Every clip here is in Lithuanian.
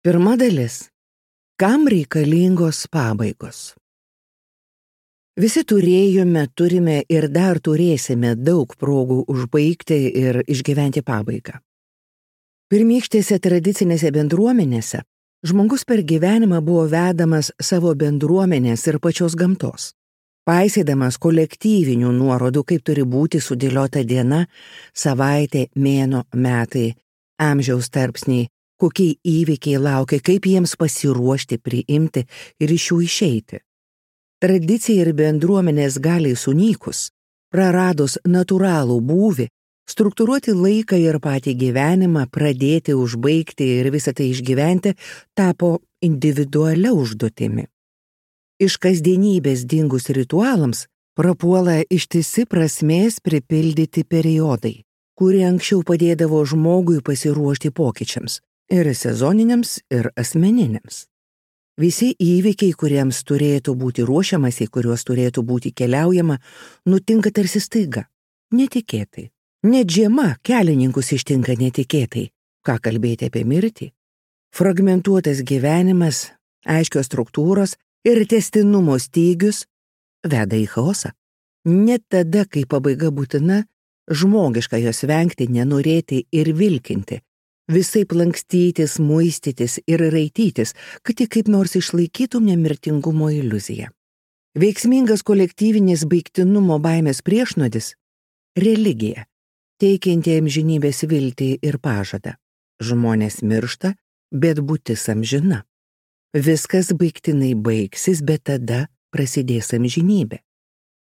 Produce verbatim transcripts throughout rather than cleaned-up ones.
Pirma dalis. Kam reikalingos pabaigos? Visi turėjome, turime ir dar turėsime daug progų užbaigti ir išgyventi pabaigą. Pirmykštėse tradicinėse bendruomenėse žmogus per gyvenimą buvo vedamas savo bendruomenės ir pačios gamtos, paisydamas kolektyvinių nuorodų, kaip turi būti sudėliota diena, savaitė, mėnuo, metai, amžiaus tarpsniai, kokie įvykiai laukia, kaip jiems pasiruošti, priimti ir iš jų išeiti. Tradicija ir bendruomenės galiai sunykus, praradus natūralų būvį, struktūruoti laiką ir patį gyvenimą, pradėti, užbaigti ir visą tai išgyventi, tapo individualia užduotimi. Iš kasdienybės dingus ritualams prapuola ištisi prasmės pripildyti periodai, kurie anksčiau padėdavo žmogui pasiruošti pokyčiams, ir sezoniniams, ir asmeniniams. Visi įvykiai, kuriems turėtų būti ruošiamasi, kuriuos turėtų būti keliaujama, nutinka tarsi staiga, netikėtai. Net žiema kelininkus ištinka netikėtai. Ką kalbėti apie mirtį? Fragmentuotas gyvenimas, aiškios struktūros ir tęstinumo stygius veda į chaosą. Net tada, kai pabaiga būtina, žmogiška jos vengti, nenorėti ir vilkinti, visaip lankstytis, muistytis ir raitytis, kad tik kaip nors išlaikytum nemirtingumo iliuziją. Veiksmingas kolektyvinės baigtinumo baimės priešnuodis – religija, teikianti amžinybės viltį ir pažadą. Žmonės miršta, bet būtis amžina. Viskas baigtinai baigsis, bet tada prasidės amžinybė.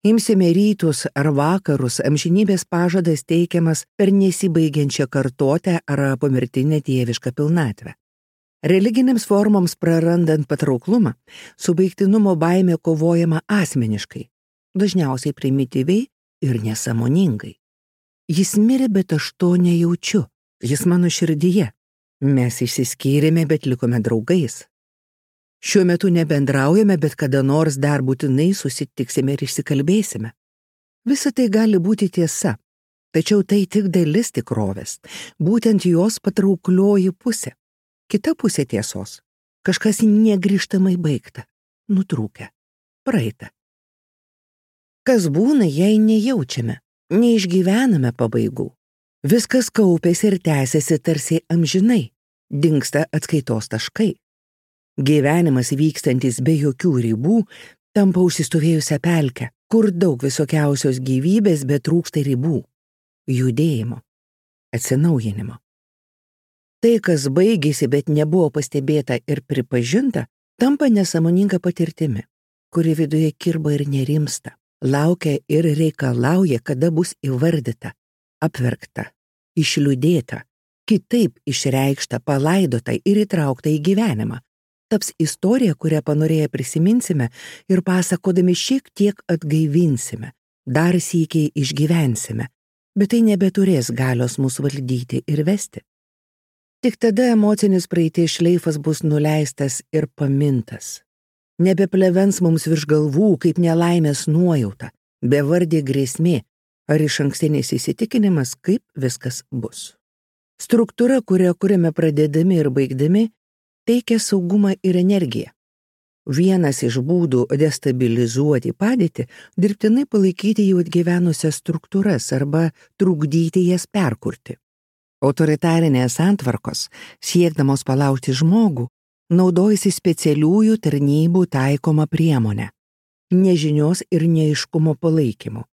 Imsime rytus ar vakarus, amžinybės pažadas teikiamas per nesibaigiančią kartotę ar pomirtinę dievišką pilnatvę. Religinėms formoms prarandant patrauklumą, su baigtinumo baime kovojama asmeniškai, dažniausiai primityviai ir nesąmoningai. Jis mirė, bet aš to nejaučiu, jis mano širdyje. Mes išsiskyrėme, bet likome draugais. Šiuo metu nebendraujame, bet kada nors dar būtinai susitiksime ir išsikalbėsime. Visa tai gali būti tiesa, tačiau tai tik dalis tikrovės, būtent jos patrauklioji pusė. Kita pusė tiesos – kažkas negrįžtamai baigta, nutrūkę, praeita. Kas būna, jei nejaučiame, neišgyvename pabaigų? Viskas kaupėsi ir tęsiasi tarsi amžinai, dingsta atskaitos taškai. Gyvenimas vykstantis be jokių ribų tampa užsistovėjusią pelkę, kur daug visokiausios gyvybės, bet trūksta ribų, judėjimo, atsinaujinimo. Tai, kas baigėsi, bet nebuvo pastebėta ir pripažinta, tampa nesąmoninga patirtimi, kuri viduje kirba ir nerimsta, laukia ir reikalauja, kada bus įvardyta, apverkta, išliūdėta, kitaip išreikšta, palaidota ir įtraukta į gyvenimą. Taps istorija, kurią panorėję prisiminsime ir pasakodami šiek tiek atgaivinsime, dar sykiai išgyvensime, bet tai nebeturės galios mus valdyti ir vesti. Tik tada emocinis praeities šleifas bus nuleistas ir pamintas. Nebeplevens mums virš galvų kaip nelaimės nuojauta, bevardė grėsmė ar išankstinis įsitikinimas, kaip viskas bus. Struktūra, kurią kuriame pradėdami ir baigdami, teikia saugumą ir energiją. Vienas iš būdų destabilizuoti padėtį – dirbtinai palaikyti jau atgyvenusias struktūras arba trukdyti jas perkurti. Autoritarinės santvarkos, siekdamos palaužti žmogų, naudojasi specialiųjų tarnybų taikomą priemonę – nežinios ir neaiškumo palaikymu,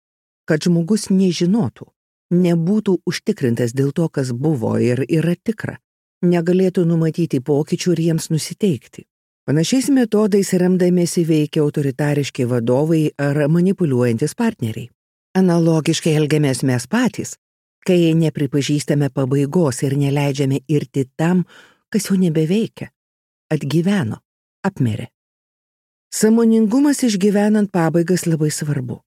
kad žmogus nežinotų, nebūtų užtikrintas dėl to, kas buvo ir yra tikra, negalėtų numatyti pokyčių ir jiems nusiteikti. Panašiais metodais remdamiesi veikia autoritariški vadovai ar manipuliuojantis partneriai. Analogiškai elgiamės mes patys, kai nepripažįstame pabaigos ir neleidžiame irti tam, kas jau nebeveikia, atgyveno, apmirė. Sąmoningumas išgyvenant pabaigas labai svarbu.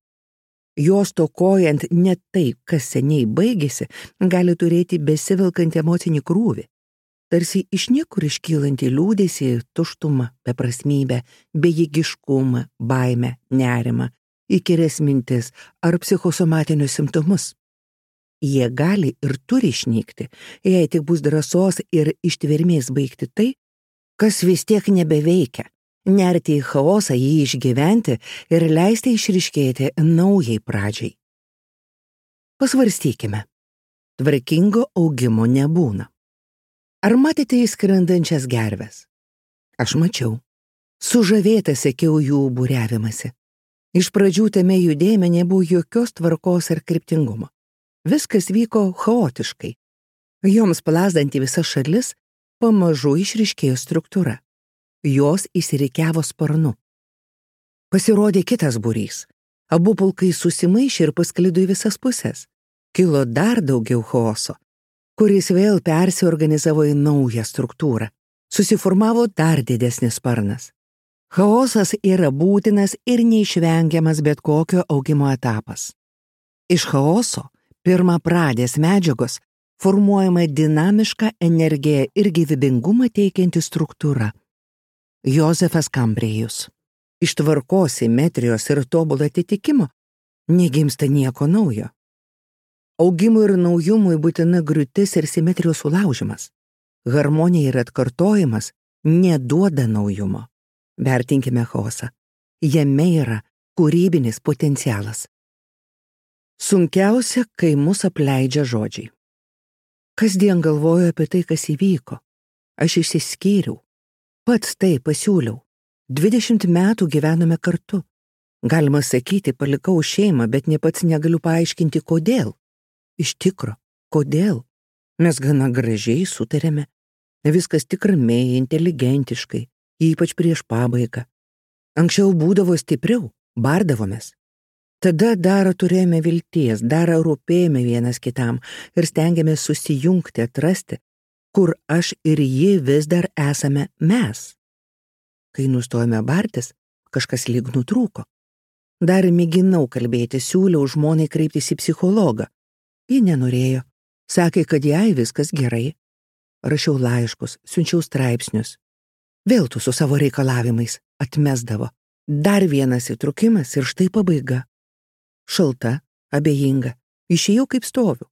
Jos tokojant net tai, kas seniai baigėsi, gali turėti besivelkantį emocinį krūvį. Tarsi iš niekur iškylantį liūdesį, tuštumą, beprasmybę, bejėgiškumą, baimę, nerimą, įkyrias mintis ar psichosomatinius simptomus. Jie gali ir turi išnykti, jei tik bus drąsos ir ištvermės baigti tai, kas vis tiek nebeveikia, nerti į chaosą, jį išgyventi ir leisti išryškėti naujai pradžiai. Pasvarstykime. Tvarkingo augimo nebūna. Ar matėte įskrendančias gerves? Aš mačiau. Sužavėta sekiau jų būriavimąsi. Iš pradžių tame judėjime nebuvo jokios tvarkos ar kryptingumo. Viskas vyko chaotiškai. Joms plazdant į visas šalis, pamažu išryškėjo struktūra. Jos įsirikiavo sparnu. Pasirodė kitas būrys. Abu pulkai susimaišė ir pasklido į visas pusės. Kilo dar daugiau chaoso, kuris vėl persiorganizavo į naują struktūrą. Susiformavo dar didesnis sparnas. Chaosas yra būtinas ir neišvengiamas bet kokio augimo etapas. Iš chaoso, pirma pradės medžiagos, formuojama dinamiška energija ir gyvybingumą teikianti struktūra. Jozefas Kambrėjus. Iš tvarkos, simetrijos ir tobulo atitikimo negimsta nieko naujo. Augimui ir naujumui būtina griūtis ir simetrijos sulaužimas. Harmonija ir atkartojimas neduoda naujumo. Vertinkime chaosą. Jame yra kūrybinis potencialas. Sunkiausia, kai mus apleidžia žodžiai. Kasdien galvoju apie tai, kas įvyko. Aš išsiskyriau. Pats tai pasiūliau. Dvidešimt metų gyvenome kartu. Galima sakyti, palikau šeimą, bet ne pats negaliu paaiškinti, kodėl. Iš tikro, kodėl? Mes gana gražiai sutarėme. Viskas tik ramiai, inteligentiškai, ypač prieš pabaigą. Anksčiau būdavo stipriau, bardavomės. Tada dar turėjome vilties, dar rūpėjome vienas kitam ir stengiamės susijungti, atrasti, kur aš ir ji vis dar esame mes. Kai nustojome bartis, kažkas lyg nutrūko. Dar mėginau kalbėti, siūliau žmonai kreiptis į psichologą. Ji nenorėjo. Sakė, kad jai viskas gerai. Rašiau laiškus, siunčiau straipsnius. Vėl tu su savo reikalavimais atmesdavo. Dar vienas įtrukimas ir štai pabaiga. Šalta, abejinga. Išėjau kaip stoviu.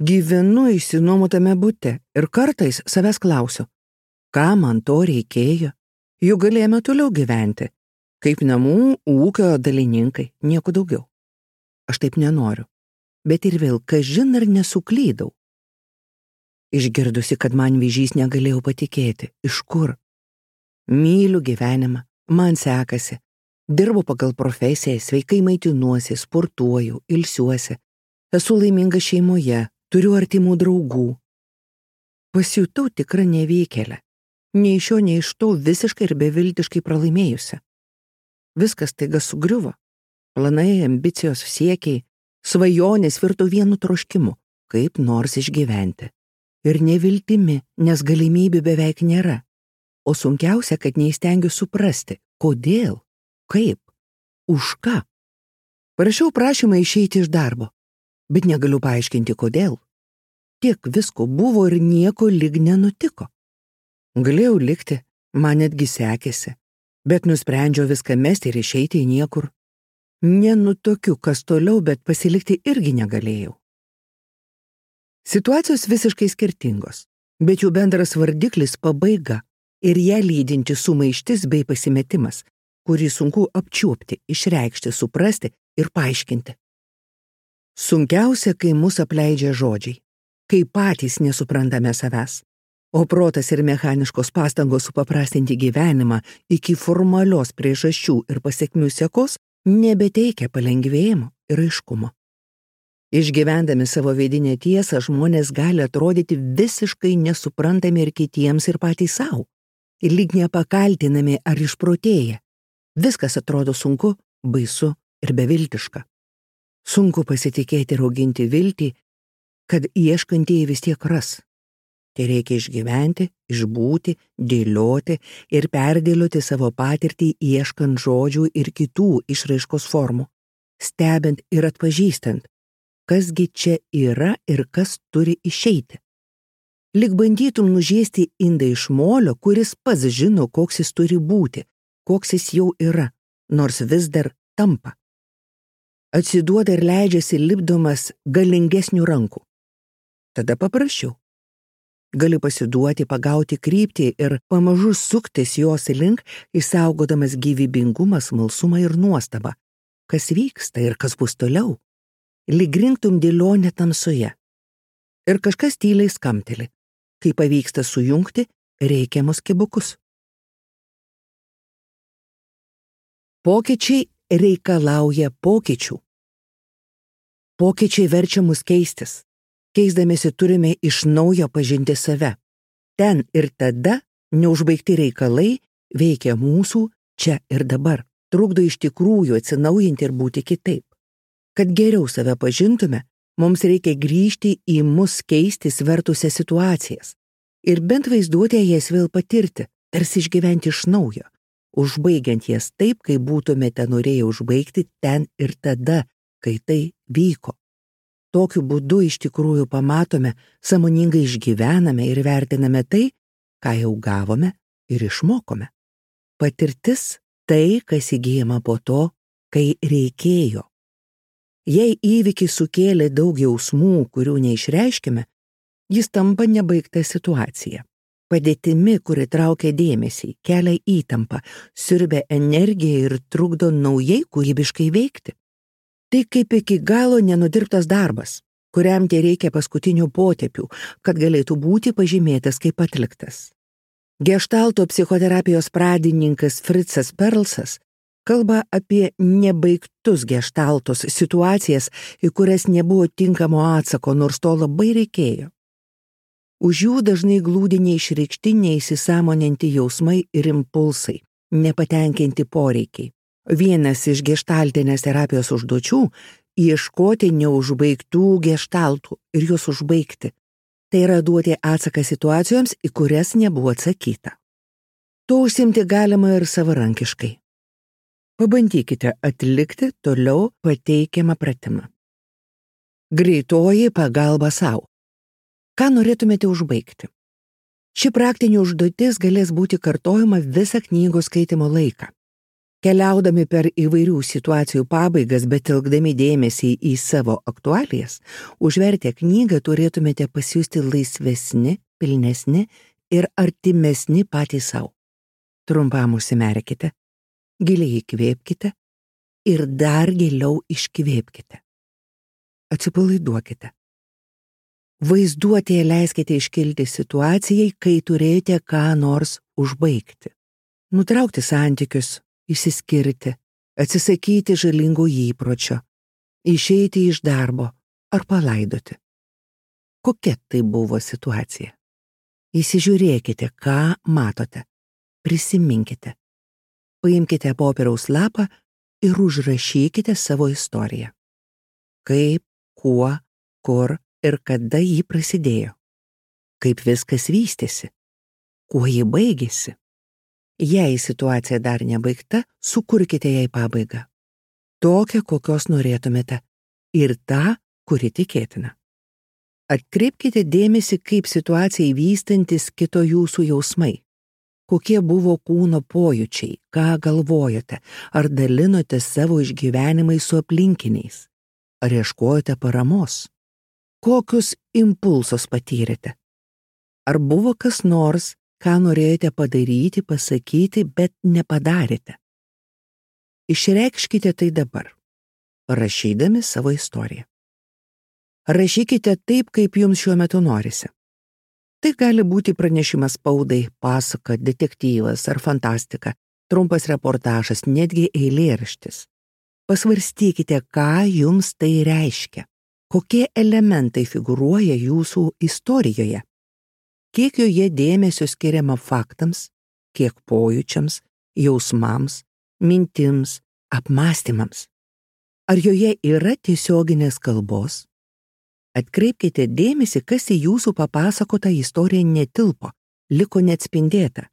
Gyvenu išsinuomotame bute ir kartais savęs klausiu, ką man to reikėjo. Juk galėjome toliau gyventi. Kaip namų ūkio dalininkai, nieko daugiau. Aš taip nenoriu. Bet ir vėl, kažin ar nesuklydau. Išgirdusi, kad man vėžys, negalėjau patikėti. Iš kur? Myliu gyvenimą, man sekasi. Dirbu pagal profesiją, sveikai maitinuosi, sportuoju, ilsiuosi. Esu laiminga šeimoje, turiu artimų draugų. Pasijutau tikrą nevykėlę. Nei iš šio, nei iš to visiškai ir beviltiškai pralaimėjusi. Viskas taiga sugriuvo. Planai, ambicijos, siekiai, svajonės virto vienu troškimu, kaip nors išgyventi. Ir neviltimi, nes galimybių beveik nėra. O sunkiausia, kad neįstengiu suprasti, kodėl, kaip, už ką. Parašiau prašymą išeiti iš darbo, bet negaliu paaiškinti, kodėl. Tiek visko buvo ir nieko lyg nenutiko. Galėjau likti, man netgi sekėsi, bet nusprendžiau viską mesti ir išeiti į niekur. Nenutokiu, kas toliau, bet pasilikti irgi negalėjau. Situacijos visiškai skirtingos, bet jų bendras vardiklis pabaiga ir ją lydinti sumaištis bei pasimetimas, kurį sunku apčiuopti, išreikšti, suprasti ir paaiškinti. Sunkiausia, kai mus apleidžia žodžiai, kai patys nesuprantame savęs, o protas ir mechaniškos pastangos supaprastinti gyvenimą iki formalios priežasčių ir pasekmių sekos nebeteikia palengvėjimo ir aiškumo. Išgyvendami savo vidinę tiesą, žmonės gali atrodyti visiškai nesuprantami ir kitiems ir patys savo, ir lyg nepakaltinami ar išprotėję. Viskas atrodo sunku, baisu ir beviltiška. Sunku pasitikėti ir auginti viltį, kad ieškantieji vis tiek ras. Tai reikia išgyventi, išbūti, dėlioti ir perdėlioti savo patirtį ieškant žodžių ir kitų išraiškos formų, stebint ir atpažįstant, kasgi čia yra ir kas turi išeiti. Lyg bandytum nužiesti indą iš molio, kuris pats žino, koks jis turi būti, koks jis jau yra, nors vis dar tampa. Atsiduoda ir leidžiasi lipdomas galingesnių rankų. Tada paprašiau. Gali pasiduoti, pagauti kryptį ir pamažu suktis jos link, išsaugodamas gyvybingumą, smalsumą ir nuostabą. Kas vyksta ir kas bus toliau? Lyg rinktum dėlionę tamsoje. Ir kažkas tyliai skamteli, kai pavyksta sujungti reikiamus kibukus. Pokyčiai reikalauja pokyčių. Pokyčiai verčia mus keistis. Keisdamėsi turime iš naujo pažinti save. Ten ir tada neužbaigti reikalai veikia mūsų čia ir dabar, trukdo iš tikrųjų atsinaujinti ir būti kitaip. Kad geriau save pažintume, mums reikia grįžti į mus keistis vertusias situacijas ir bent vaizduotėje jas vėl patirti, tarsi išgyventi iš naujo, užbaigiant jas taip, kaip būtumėte norėję užbaigti ten ir tada, kai tai vyko. Tokiu būdu iš tikrųjų pamatome, sąmoningai išgyvename ir vertiname tai, ką jau gavome ir išmokome. Patirtis tai, kas įgyjama po to, kai reikėjo. Jei įvykis sukėlė daug jausmų, kurių neišreiškime, jis tampa nebaigta situacija. Padėtimi, kuri traukia dėmesį, kelia įtampą, siurbia energiją ir trukdo naujai kūrybiškai veikti. Tai kaip iki galo nenudirbtas darbas, kuriam tie reikia paskutinių potėpių, kad galėtų būti pažymėtas kaip atliktas. Geštalto psichoterapijos pradininkas Fritzas Perlsas kalba apie nebaigtus geštaltos situacijas, į kurias nebuvo tinkamo atsako, nors to labai reikėjo. Už jų dažnai glūdi neišreikšti, neįsisąmoninti jausmai ir impulsai, nepatenkinti poreikiai. Vienas iš geštaltinės terapijos užduočių – ieškoti neužbaigtų geštaltų ir juos užbaigti. Tai yra duoti atsaką situacijoms, į kurias nebuvo atsakyta. To užsimti galima ir savarankiškai. Pabandykite atlikti toliau pateikiamą pratimą. Greitoji pagalba sau. Ką norėtumėte užbaigti? Ši praktinė užduotis galės būti kartojama visą knygos skaitimo laiką. Keliaudami per įvairių situacijų pabaigas, bet telkdami dėmesį į savo aktualijas, užvertę knygą turėtumėte pasijusti laisvesni, pilnesni ir artimesni patys sau. Trumpam užsimerkite, giliai įkvėpkite ir dar giliau iškvėpkite. Atsipalaiduokite. Vaizduotėje leiskite iškilti situacijai, kai turėjote ką nors užbaigti. Nutraukti santykius, išsiskirti, atsisakyti žalingų įpročio, išeiti iš darbo ar palaidoti. Kokia tai buvo situacija? Įsižiūrėkite, ką matote. Prisiminkite. Paimkite popieriaus lapą ir užrašykite savo istoriją. Kaip, kuo, kur ir kada ji prasidėjo. Kaip viskas vystėsi. Kuo ji baigėsi. Jei situacija dar nebaigta, sukurkite jai pabaigą. Tokią, kokios norėtumėte. Ir tą, kuri tikėtina. Atkreipkite dėmesį, kaip situacijai vystantis kito jūsų jausmai. Kokie buvo kūno pojūčiai, ką galvojote, ar dalinote savo išgyvenimais su aplinkiniais, ar ieškojote paramos. Kokius impulsus patyrėte? Ar buvo kas nors, ką norėjote padaryti, pasakyti, bet nepadarėte? Išreikškite tai dabar, rašydami savo istoriją. Rašykite taip, kaip jums šiuo metu norisi. Tai gali būti pranešimas spaudai, pasaka, detektyvas ar fantastika, trumpas reportažas, netgi eilėraštis. Pasvarstykite, ką jums tai reiškia, kokie elementai figūruoja jūsų istorijoje, kiek joje dėmesio skiriama faktams, kiek pojūčiams, jausmams, mintims, apmąstymams. Ar joje yra tiesioginės kalbos? Atkreipkite dėmesį, kas į jūsų papasakotą istoriją netilpo, liko neatspindėta.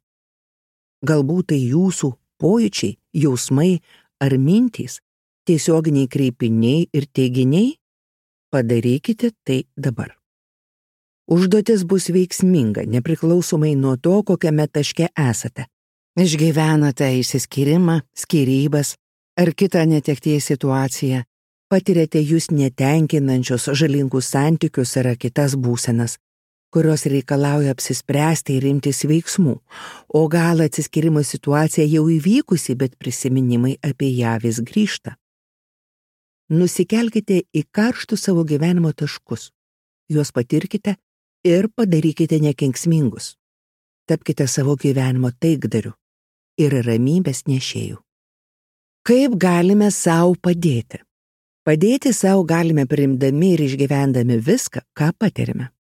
Galbūt tai jūsų pojūčiai, jausmai ar mintys, tiesioginiai kreipiniai ir teiginiai? Padarykite tai dabar. Užduotis bus veiksminga, nepriklausomai nuo to, kokiame taške esate. Išgyvenate išsiskyrimą, skyrybas ar kitą netekties situaciją. Patirėte jūs netenkinančius žalingus santykius ar kitas būsenas, kurios reikalauja apsispręsti ir imtis veiksmų, o gal atsiskyrimo situacija jau įvykusi, bet prisiminimai apie ją vis grįžta. Nusikelkite į karštus savo gyvenimo taškus, juos patirkite ir padarykite nekenksmingus. Tapkite savo gyvenimo taikdariu ir ramybės nešėjų. Kaip galime savo padėti? Padėti savo galime priimdami ir išgyvendami viską, ką patirime.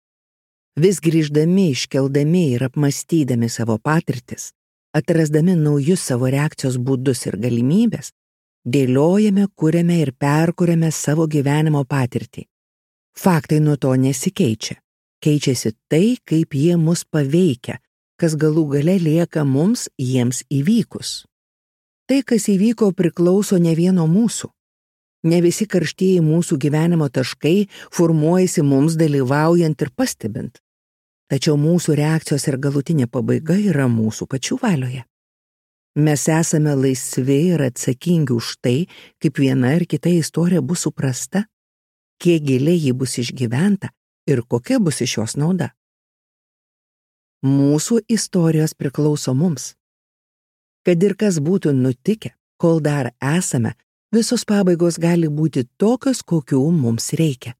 Vis grįždami, iškeldami ir apmastydami savo patirtis, atrasdami naujus savo reakcijos būdus ir galimybės, dėliojame, kuriame ir perkuriame savo gyvenimo patirtį. Faktai nuo to nesikeičia. Keičiasi tai, kaip jie mus paveikia, kas galų gale lieka mums jiems įvykus. Tai, kas įvyko, priklauso ne vieno mūsų. Ne visi karštieji mūsų gyvenimo taškai formuojasi mums dalyvaujant ir pastebint. Tačiau mūsų reakcijos ir galutinė pabaiga yra mūsų pačių valioje. Mes esame laisvi ir atsakingi už tai, kaip viena ir kita istorija bus suprasta, kiek giliai ji bus išgyventa ir kokia bus iš jos nauda. Mūsų istorijos priklauso mums. Kad ir kas būtų nutikę, kol dar esame, visos pabaigos gali būti tokios, kokių mums reikia.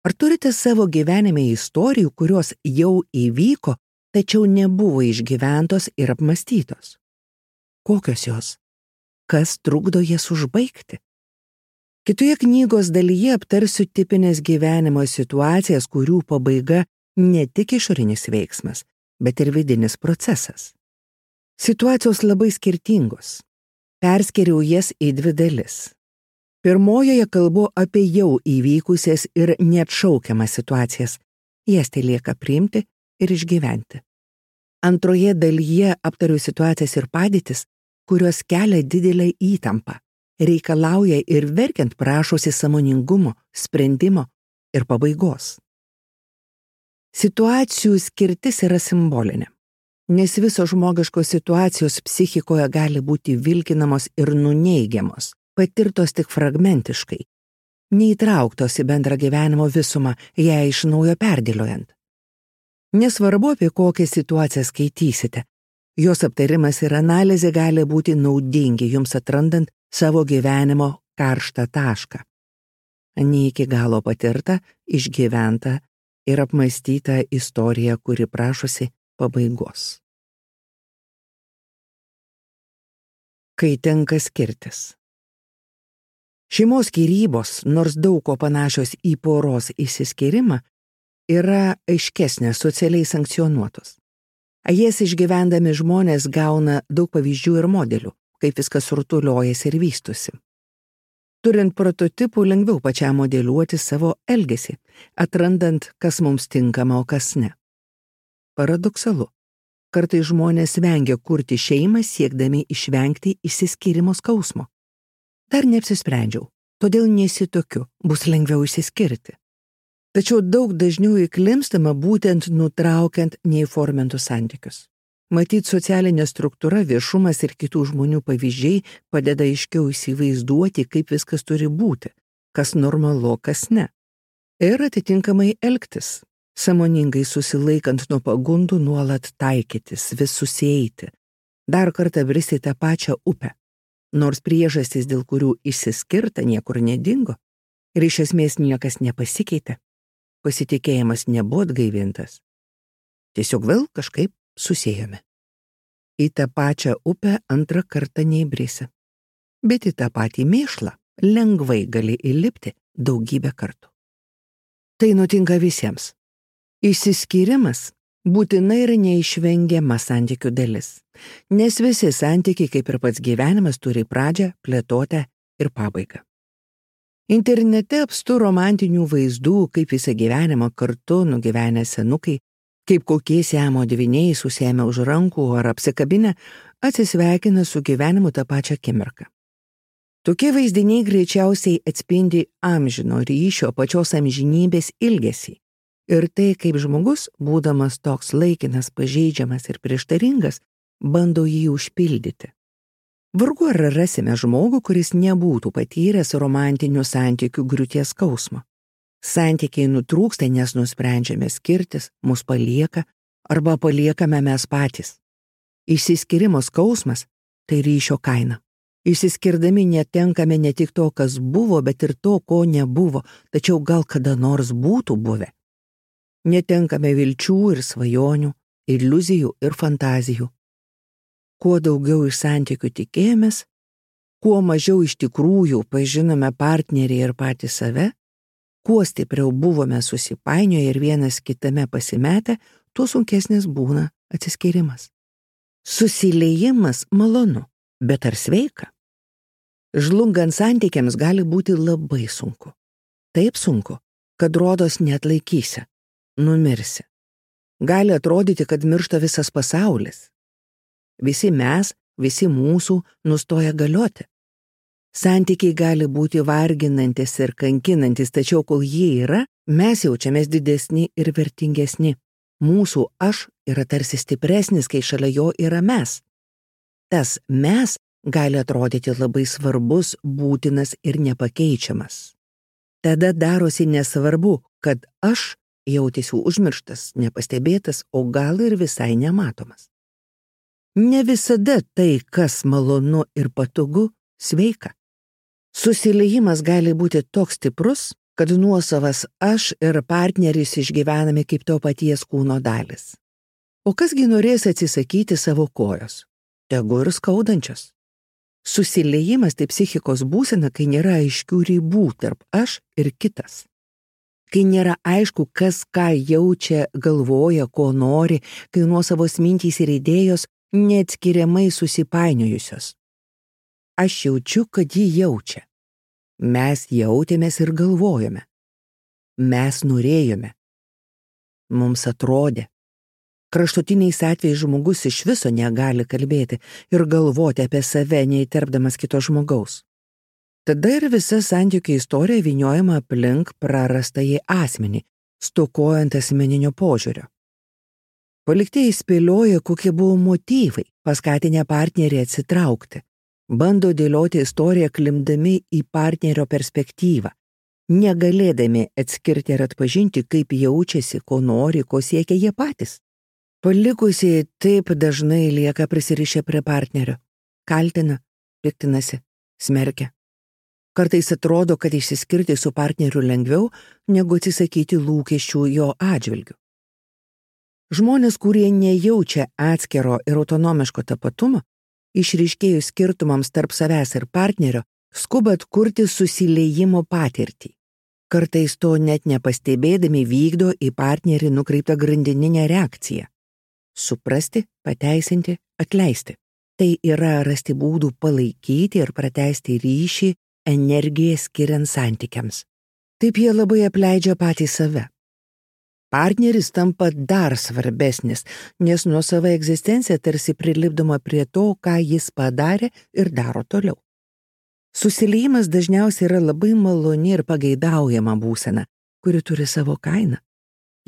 Ar turite savo gyvenime istorijų, kurios jau įvyko, tačiau nebuvo išgyventos ir apmastytos? Kokios jos? Kas trukdo jas užbaigti? Kitoje knygos dalyje aptarsiu tipinės gyvenimo situacijas, kurių pabaiga ne tik išorinis veiksmas, bet ir vidinis procesas. Situacijos labai skirtingos. Perskiriau jas į dvi dalis. Pirmojoje kalbu apie jau įvykusias ir neatšaukiamas situacijas. Jas tai lieka priimti ir išgyventi. Antroje dalyje aptariu situacijas ir padėtis, kurios kelia didelę įtampą, reikalauja ir verkiant prašosi sąmoningumo, sprendimo ir pabaigos. Situacijų skirtis yra simbolinė, nes visos žmogiškos situacijos psichikoje gali būti vilkinamos ir nuneigiamos, patirtos tik fragmentiškai, neįtrauktos į bendrą gyvenimo visumą, ją iš naujo perdėliojant. Nesvarbu, apie kokią situaciją skaitysite, jos aptarimas ir analizė gali būti naudingi jums atrandant savo gyvenimo karštą tašką. Ne iki galo patirta, išgyventa ir apmąstyta istorija, kuri prašosi pabaigos. Kai tenka skirtis. Šeimos skyrybos, nors daug ko panašios į poros išsiskyrimą, yra aiškesnės socialiai sankcionuotos. Jas išgyvendami žmonės gauna daug pavyzdžių ir modelių, kaip viskas rutuliojasi ir vystosi. Turint prototipų, lengviau pačiam modeliuoti savo elgesį, atrandant, kas mums tinkama, o kas ne. Paradoksalu. Kartais žmonės vengia kurti šeimą, siekdami išvengti išsiskyrimo skausmo. Dar neapsisprendžiau, todėl nesitokiu, bus lengviau išsiskirti. Tačiau daug dažniau įklimpstama būtent nutraukiant neįformintus santykius. Matyt, socialinė struktūra, viešumas ir kitų žmonių pavyzdžiai padeda aiškiau įsivaizduoti, kaip viskas turi būti, kas normalu, kas ne. Ir atitinkamai elgtis, sąmoningai susilaikant nuo pagundų nuolat taikytis, vis susieiti, dar kartą bristi tą pačią upę. Nors priežastys, dėl kurių išsiskirta, niekur nedingo ir iš esmės niekas nepasikeitė, pasitikėjimas nebuvo atgaivintas. Tiesiog vėl kažkaip susiejome. Į tą pačią upę antrą kartą neįbrisi, bet į tą patį mėšlą lengvai gali įlipti daugybę kartų. Tai nutinka visiems. Išsiskyrimas būtinai yra neišvengiama santykių dalis, nes visi santykiai, kaip ir pats gyvenimas, turi pradžią, plėtotę ir pabaigą. Internete apstu romantinių vaizdų, kaip visą gyvenimą kartu nugyvenę senukai, kaip kokie siamo dvyniai susiėmę už rankų ar apsikabinę atsisveikina su gyvenimu tą pačią akimirką. Tokie vaizdiniai greičiausiai atspindi amžino ryšio pačios amžinybės ilgesį. Ir tai, kaip žmogus, būdamas toks laikinas, pažeidžiamas ir prieštaringas, bando jį užpildyti. Vargu ar rasime žmogų, kuris nebūtų patyręs romantinių santykių griūties skausmo. Santykiai nutrūksta, nes nusprendžiame skirtis, mus palieka arba paliekame mes patys. Išsiskyrimo skausmas – tai ryšio kaina. Išsiskirdami netenkame ne tik to, kas buvo, bet ir to, ko nebuvo, tačiau gal kada nors būtų buvę. Netenkame vilčių ir svajonių, iliuzijų ir fantazijų. Kuo daugiau iš santykių tikėjomės, kuo mažiau iš tikrųjų pažinome partnerį ir patį save, kuo stipriau buvome susipainioję ir vienas kitame pasimetę, tuo sunkesnis būna atsiskyrimas. Susiliejimas malonu, bet ar sveika? Žlungant santykiams gali būti labai sunku. Taip sunku, kad rodos neatlaikysi, numirsi. Gali atrodyti, kad miršta visas pasaulis. Visi mes, visi mūsų nustoja galioti. Santykiai gali būti varginantis ir kankinantis, tačiau kol jie yra, mes jaučiamės didesni ir vertingesni. Mūsų aš yra tarsi stipresnis, kai šalia jo yra mes. Tas mes gali atrodyti labai svarbus, būtinas ir nepakeičiamas. Tada darosi nesvarbu, kad aš jautėsiu užmirštas, nepastebėtas, o gal ir visai nematomas. Ne visada tai, kas malonu ir patogu, sveika. Susiliejimas gali būti toks stiprus, kad nuosavas aš ir partneris išgyvenami kaip to paties kūno dalis. O kasgi norės atsisakyti savo kojos? Tegu ir skaudančios. Susiliejimas tai psichikos būsena, kai nėra aiškių ribų tarp aš ir kitas. Kai nėra aišku, kas ką jaučia, galvoja, ko nori, kai nuosavos mintys ir idėjos neatskiriamai susipainiojusios. Aš jaučiu, kad ji jaučia. Mes jautėmės ir galvojome. Mes norėjome. Mums atrodė. Kraštutiniais atvejais žmogus iš viso negali kalbėti ir galvoti apie save, neįterpdamas kito žmogaus. Tada ir visa santykių istorija vyniojama aplink prarastąjį asmenį, stokojant asmeninio požiūrio. Paliktieji spėlioja, kokie buvo motyvai, paskatinę partnerį atsitraukti. Bando dėlioti istoriją klimdami į partnerio perspektyvą, negalėdami atskirti ir atpažinti, kaip jaučiasi, ko nori, ko siekia jie patys. Palikusieji taip dažnai lieka prisirišę prie partnerio, kaltina, piktinasi, smerkia. Kartais atrodo, kad išsiskirti su partneriu lengviau, negu atsisakyti lūkesčių jo atžvilgiu. Žmonės, kurie nejaučia atskiro ir autonomiško tapatumo, išryškėjus skirtumams tarp savęs ir partnerio, skuba atkurti susiliejimo patirtį. Kartais to net nepastebėdami vykdo į partnerį nukreiptą grandininę reakciją. Suprasti, pateisinti, atleisti. Tai yra rasti būdų palaikyti ir pratęsti ryšį, energiją skiriant santykiams. Taip jie labai apleidžia patį save. Partneris tampa dar svarbesnis, nes nuosava egzistencija tarsi prilipdoma prie to, ką jis padarė ir daro toliau. Susiliejimas dažniausiai yra labai maloni ir pageidaujama būsena, kuri turi savo kainą.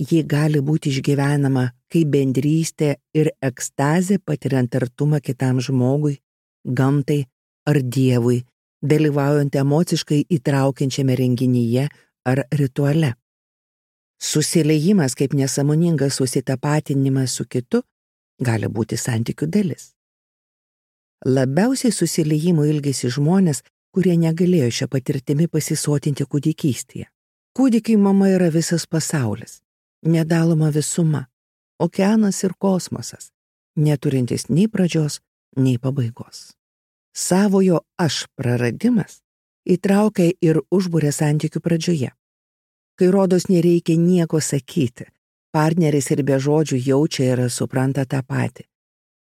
Ji gali būti išgyvenama kaip bendrystė ir ekstazė patiriant artumą kitam žmogui, gamtai ar dievui, dalyvaujant emociškai įtraukiančiame renginyje ar rituale. Susiliejimas kaip nesąmoningas susitapatinimas su kitu gali būti santykių dalis. Labiausiai susiliejimo ilgisi žmonės, kurie negalėjo šią patirtimį pasisotinti kūdikystėje. Kūdikiai mama yra visas pasaulis, nedaloma visuma, okeanas ir kosmosas, neturintis nei pradžios, nei pabaigos. Savojo aš praradimas įtraukia ir užburia santykių pradžioje. Kai rodos nereikia nieko sakyti, partneris ir be žodžių jaučia ir supranta tą patį.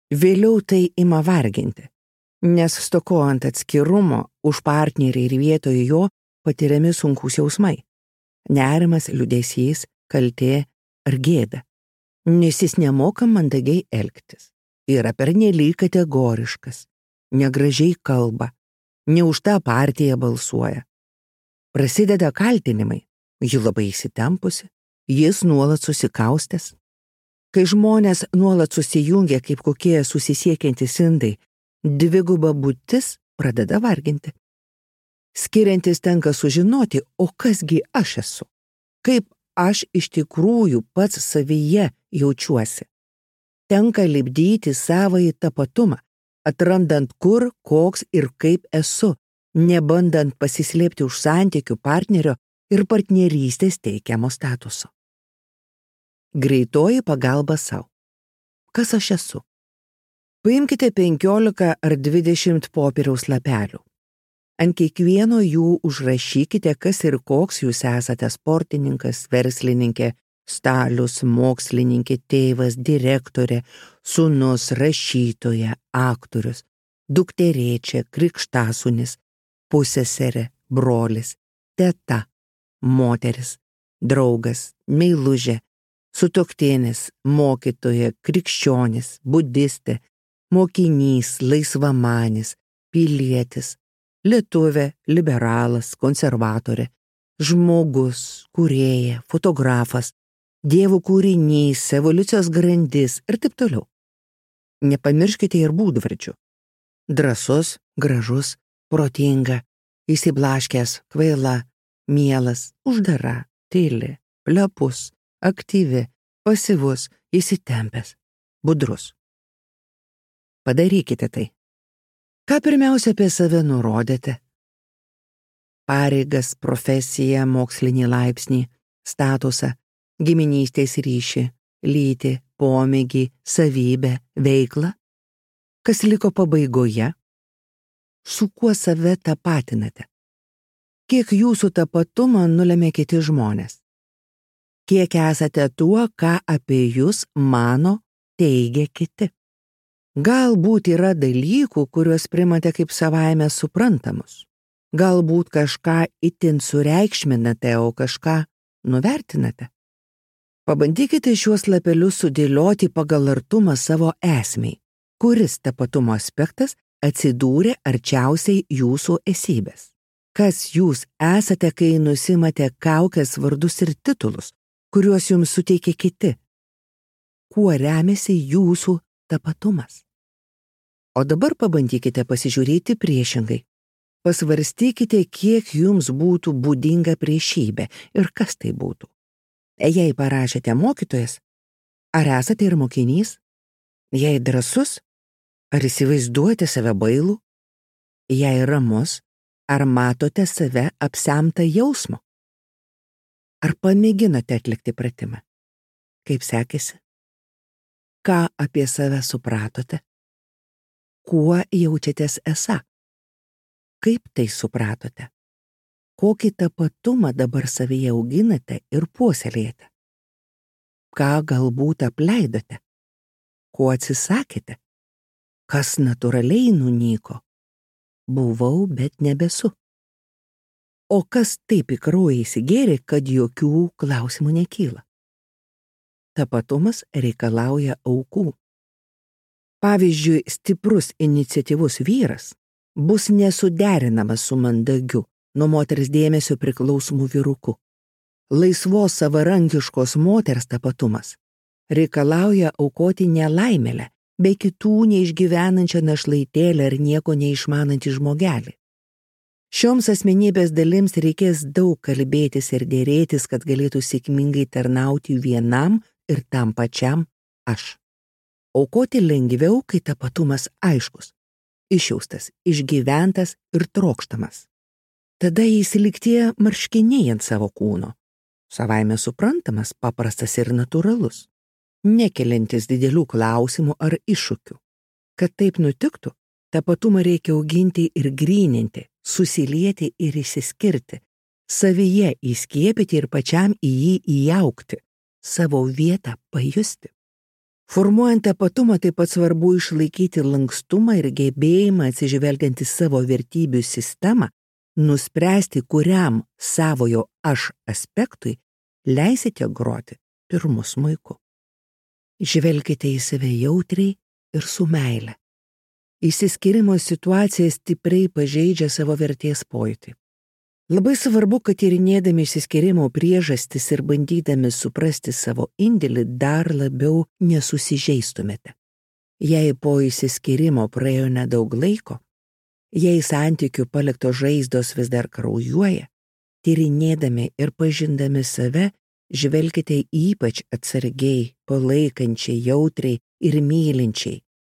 Vėliau tai ima varginti, nes stokojant atskirumo už partnerį ir vietoje jo patiriami sunkūs jausmai. Nerimas, liūdesys, kaltė ar gėda. Nes jis nemoka mandagiai elgtis. Yra pernelyg kategoriškas, negražiai kalba, ne už tą partiją balsuoja. Prasideda kaltinimai. Ji labai įsitempusi, jis nuolat susikaustęs. Kai žmonės nuolat susijungia kaip kokie susisiekiantys indai, dviguba būtis pradeda varginti. Skiriantis tenka sužinoti, o kasgi aš esu. kaip aš iš tikrųjų pats savyje jaučiuosi. Tenka lipdyti savąjį tapatumą, atrandant kur, koks ir kaip esu, nebandant pasislėpti už santykių partnerio ir partnerystės teikiamo statuso. Greitoji pagalba sau. Kas aš esu? Paimkite penkiolika ar dvidešimt popieriaus lapelių. Ant kiekvieno jų užrašykite, kas ir koks jūs esate: sportininkas, verslininkė, stalius, mokslininkė, tėvas, direktorė, sūnus, rašytoja, aktorius, dukterėčia, krikštasūnis, pusseserė, brolis, teta, moteris, draugas, meilužė, sutuoktinis, mokytoja, krikščionis, budistė, mokinys, laisvamanis, pilietis, lietuvė, liberalas, konservatorė, žmogus, kūrėja, fotografas, dievų kūrinys, evoliucijos grandis ir taip toliau. Nepamirškite ir būdvardžių. Drąsus, gražus, protinga, įsiblaškęs, kvaila, mielas, uždara, tyli, plepus, aktyvi, pasyvus, įsitempęs, budrus. Padarykite tai. Ką pirmiausia apie save nurodėte? Pareigas, profesiją, mokslinį laipsnį, statusą, giminystės ryšį, lytį, pomėgį, savybę, veiklą? Kas liko pabaigoje? Su kuo save tapatinate? Kiek jūsų tapatumą nulemia kiti žmonės? Kiek esate tuo, ką apie jūs mano, teigia kiti? Galbūt yra dalykų, kuriuos primate kaip savaime suprantamus. Galbūt kažką itin sureikšminate, o kažką nuvertinate. Pabandykite šiuos lapelius sudėlioti pagal artumą savo esmei. Kuris tapatumo aspektas atsidūrė arčiausiai jūsų esybės? Kas jūs esate, kai nusimate kaukės, vardus ir titulus, kuriuos jums suteikia kiti? Kuo remiasi jūsų tapatumas? O dabar pabandykite pasižiūrėti priešingai. Pasvarstykite, kiek jums būtų būdinga priešybė ir kas tai būtų. Jei parašėte mokytojas, ar esate ir mokinys? Jei drąsus, ar įsivaizduojate save bailų? Jei ramus, ar matote save apsemtą jausmo? Ar pamėginote atlikti pratimą? Kaip sekėsi? Ką apie save supratote? Kuo jaučiatės esą? Kaip tai supratote? Kokį tapatumą dabar savyje auginate ir puoselėjate? Ką galbūt apleidote? Ko atsisakėte? Kas natūraliai nunyko? Buvau, bet nebesu. O kas taip į kraują įsigėrė, kad jokių klausimų nekyla? Tapatumas reikalauja aukų. Pavyzdžiui, stiprus iniciatyvus vyras bus nesuderinamas su mandagiu, nuo moters dėmesio priklausomų vyruku. Laisvos savarankiškos moters tapatumas reikalauja aukoti nelaimėlę, bei kitų neišgyvenančią našlaitėlę ar nieko neišmanantį žmogelį. Šioms asmenybės dalims reikės daug kalbėtis ir dėrėtis, kad galėtų sėkmingai tarnauti vienam ir tam pačiam aš. Aukoti lengviau, kai tapatumas aiškus, išjaustas, išgyventas ir trokštamas. Tada įsiliktie marškiniai ant savo kūno, savaime suprantamas, paprastas ir natūralus, nekeliantis didelių klausimų ar iššūkių. Kad taip nutiktų, tapatumą reikia auginti ir gryninti, susilieti ir išsiskirti, savyje įskiepyti ir pačiam į jį įaugti, savo vietą pajusti. Formuojant tapatumą taip pat svarbu išlaikyti lankstumą ir gebėjimą atsižvelgiant į savo vertybių sistemą, nuspręsti, kuriam savojo aš aspektui leisite groti pirmu smuiku. Žvelkite į save jautriai ir su meile. Išsiskyrimo situacija stipriai pažeidžia savo vertės pojūtį. Labai svarbu, kad tyrinėdami išsiskyrimo priežastis ir bandydami suprasti savo indėlį dar labiau nesusižeistumėte. Jei po išsiskyrimo praėjo nedaug laiko, jei santykių paliktos žaizdos vis dar kraujuoja, tyrinėdami ir pažindami save, žvelkite ypač atsargiai, palaikančiai, jautriai ir mylinčiai,